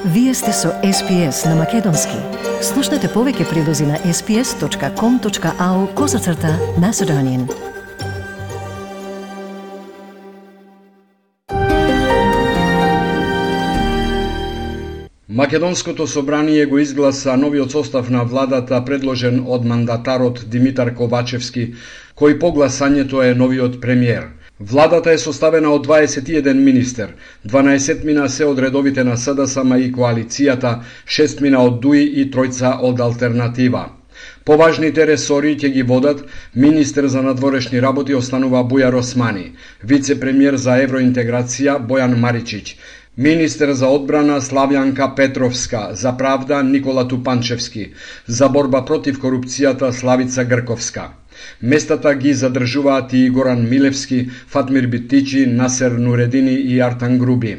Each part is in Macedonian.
Вие сте со SPS на Македонски. Слушнете повеќе прилози на sps.com.au/Macedonian. Македонското собрание го изгласа новиот состав на владата предложен од мандатарот Димитар Ковачевски, кој по гласањето е новиот премиер. Владата е составена од 21 министер, 12 мина се од редовите на СДСМ и коалицијата, 6 мина од ДУИ и 3 од Алтернатива. Поважните ресори ќе ги водат министер за надворешни работи останува Бујар Османи, вице-премиер за евроинтеграција Бојан Маричиќ, министер за одбрана Славјанка Петровска, за правда Никола Тупанчевски, за борба против корупцијата Славица Грковска. Местата ги задржуваат и Горан Милевски, Фатмир Битичи, Насер Нуредини и Артан Груби.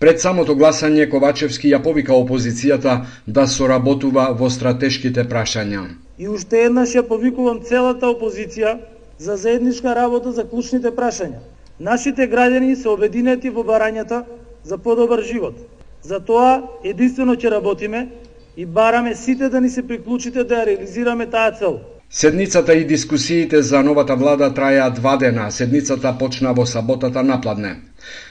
Пред самото гласање Ковачевски ја повика опозицијата да соработува во стратешките прашања. И уште еднаш ја повикувам целата опозиција за заедничка работа за клучните прашања. Нашите граѓани се обединети во барањата за подобар живот. За тоа единствено ќе работиме и бараме сите да ни се приклучите да ја реализираме таа цел. Седницата и дискусиите за новата влада траја 2 дена. Седницата почна во саботата напладне.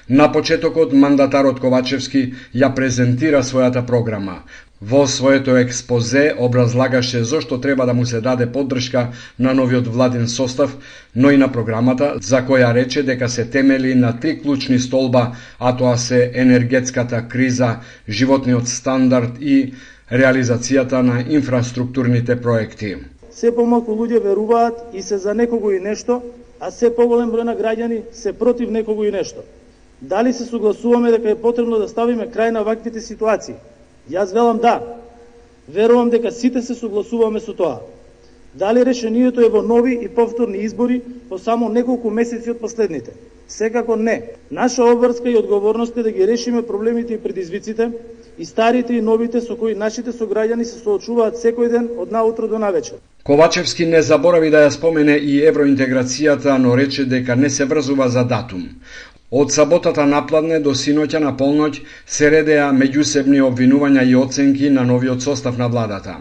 На почетокот мандатарот Ковачевски ја презентира својата програма. Во своето експозе образлагаше зошто треба да му се даде поддршка на новиот владин состав, но и на програмата, за која рече дека се темели на 3 клучни столба, а тоа се енергетската криза, животниот стандард и реализацијата на инфраструктурните проекти. Се помалку луѓе веруваат и се за некого и нешто, а се поголем број на граѓани се против некого и нешто. Дали се согласуваме дека е потребно да ставиме крај на ваквите ситуации? Јас велам да. Верувам дека сите се согласуваме со тоа. Дали решението е во нови и повторни избори по само неколку месеци од последните? Секако не. Наша обврска и одговорност е да ги решиме проблемите и предизвиците, и старите и новите со кои нашите сограѓани се соочуваат секој ден од наутро до навечер. Ковачевски не заборави да ја спомене и евроинтеграцијата, но рече дека не се врзува за датум. Од саботата напладне до синоќа на полноќ се редеа меѓусебни обвинувања и оценки на новиот состав на владата.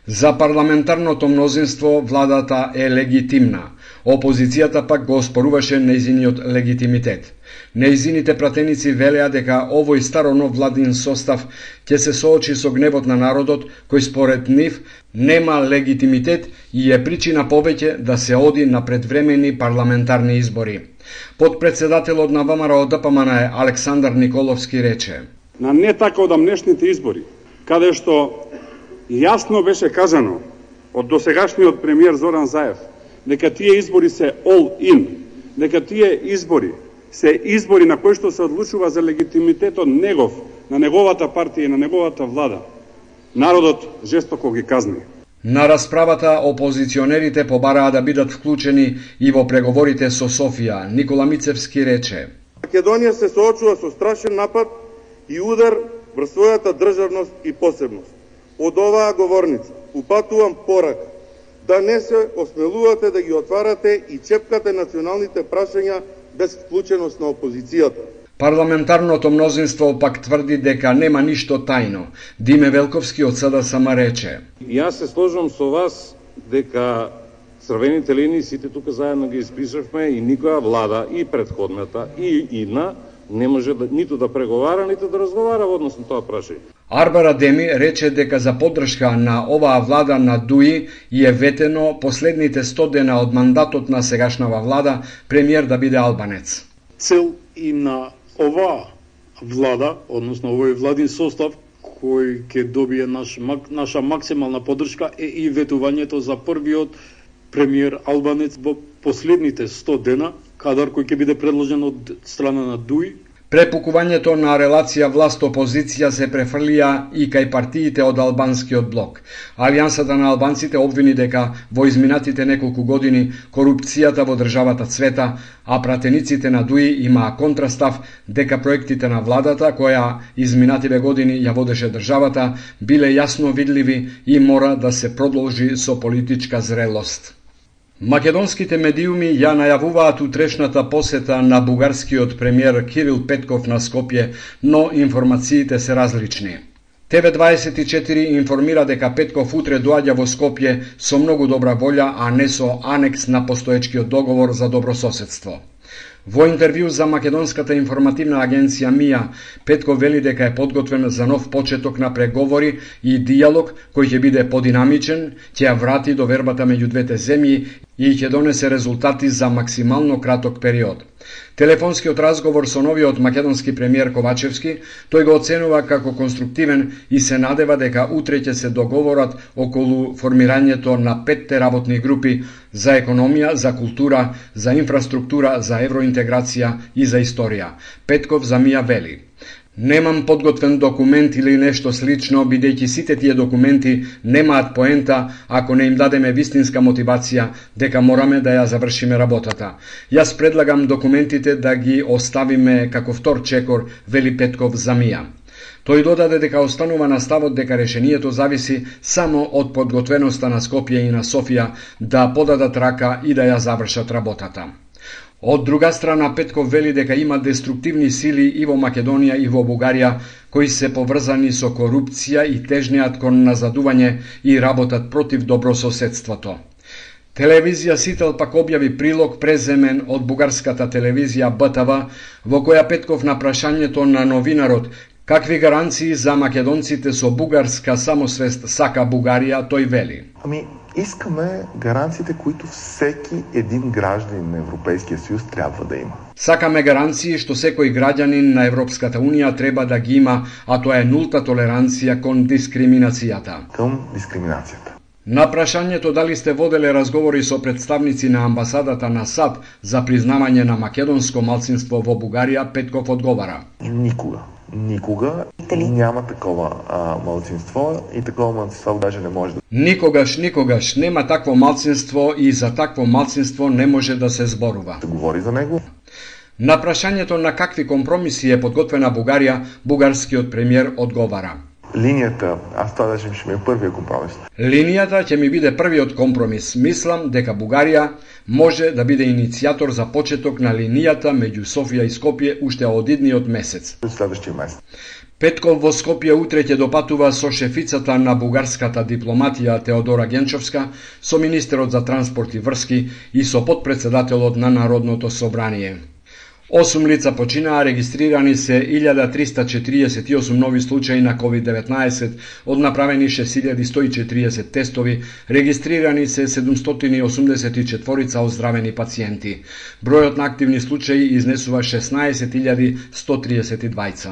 За парламентарното мнозинство владата е легитимна. Опозицијата пак го оспоруваше нејзиниот легитимитет. Нејзините пратеници велеа дека овој старонов владин состав ќе се соочи со гневот на народот, кој според нив нема легитимитет и е причина повеќе да се оди на предвремени парламентарни избори. Подпредседателот на ВМРО ДПМН Александар Николовски рече: На не така одамнешните избори, каде што јасно беше кажано од досегашниот премиер Зоран Заев дека тие избори се all in, дека тие избори се избори на кои што се одлучува за легитимитетот негов, на неговата партија и на неговата влада. Народот жестоко ги казни. На расправата опозиционерите побараа да бидат вклучени и во преговорите со Софија. Никола Мицевски рече: Македонија се соочува со страшен напад и удар врз својата државност и посебност. Од оваа говорница упатувам порака да не се осмелувате да ги отварате и чепкате националните прашања без вклученост на опозицијата. Парламентарното мнозинство пак тврди дека нема ништо тајно. Диме Велковски од СДСМ рече: Јас се сложам со вас дека црвените линии сите тука заедно ги испишавме и никоја влада, и претходната, и идна, не може ниту да преговара, ниту да разговара во однос на тоа прашање. Арбар Адеми рече дека за поддршка на оваа влада на ДУИ е ветено последните 100 дена од мандатот на сегашнава влада премиер да биде албанец. Цел и на оваа влада, односно овој владин состав кој ќе добие наша максимална поддршка е и ветувањето за првиот премиер албанец во последните 100 дена, кадар кој ќе биде предложен од страна на ДУИ. Препукувањето на релација власт-опозиција се префрлија и кај партиите од албанскиот блок. Алијансата на албанците обвини дека во изминатите неколку години корупцијата во државата цвета, а пратениците на ДУИ имаа контрастав дека проектите на владата, која изминативе години ја водеше државата, биле јасно видливи и мора да се продолжи со политичка зрелост. Македонските медиуми ја најавуваат утрешната посета на бугарскиот премиер Кирил Петков на Скопје, но информациите се различни. ТВ24 информира дека Петков утре доаѓа во Скопје со многу добра волја, а не со анекс на постоечкиот договор за добрососедство. Во интервју за македонската информативна агенција МИА, Петков вели дека е подготвен за нов почеток на преговори и дијалог кој ќе биде подинамичен, ќе ја врати довербата меѓу двете земји и ќе донесе резултати за максимално краток период. Телефонскиот разговор со новиот македонски премиер Ковачевски, тој го оценува како конструктивен и се надева дека утре ќе се договорат околу формирањето на 5 работни групи за економија, за култура, за инфраструктура, за евроинтеграција и за историја. Петков за МИА вели: "Немам подготвен документ или нешто слично, бидејќи сите тие документи немаат поента ако не им дадеме вистинска мотивација дека мораме да ја завршиме работата. Јас предлагам документите да ги оставиме како втор чекор", вели Петков за МИА. Тој додаде дека останува на ставот дека решението зависи само од подготвеноста на Скопје и на Софија да подадат рака и да ја завршат работата. Од друга страна, Петков вели дека има деструктивни сили и во Македонија и во Бугарија кои се поврзани со корупција и тежнеат кон назадување и работат против добрососедството. Телевизија Сител пак објави прилог преземен од бугарската телевизија БТВ, во која Петков на прашањето на новинарот какви гаранции за македонците со бугарска самосвест сака Бугарија, тој вели: Искаме гаранциите, които всеки един гражданин на Европейския съюз трябва да има. Сакаме гаранции што секој граѓанин на Европската унија треба да ги има, а тоа е нулта толеранција кон дискриминацијата. Към дискриминацијата. На прашањето дали сте воделе разговори со представници на амбасадата на САД за признавање на македонско малцинство во Бугарија, Петков одговара: Никога няма такова малцинство и такова малцинство даже не може да... Никогаш нема такво малцинство и за такво малцинство не може да се зборува. Да говори за него. На прашањето на какви компромиси е подготвена Бугарија, бугарскиот премиер одговара: Линијата, тоа даже ще ми е првиот компромис. Линијата ќе ми биде првиот компромис. Мислам дека Бугарија може да биде иницијатор за почеток на линијата меѓу Софија и Скопје уште од идниот месец. Следващиот месец. Петков во Скопје утре ќе допатува со шефицата на бугарската дипломатија Теодора Генчовска, со министерот за транспорт и врски и со потпредседателот на Народното собрание. 8 лица починаа, регистрирани се 1348 нови случаи на COVID-19, од направени 6140 тестови, регистрирани се 784 оздравени пациенти. Бројот на активни случаи изнесува 16132.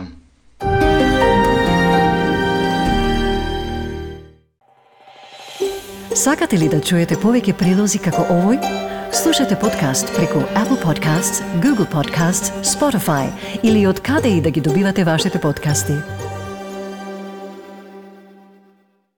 Сакате ли да чуете повеќе прилози како овој? Слушате подкаст преку Apple Podcasts, Google Podcasts, Spotify или од каде и да ги добивате вашите подкасти.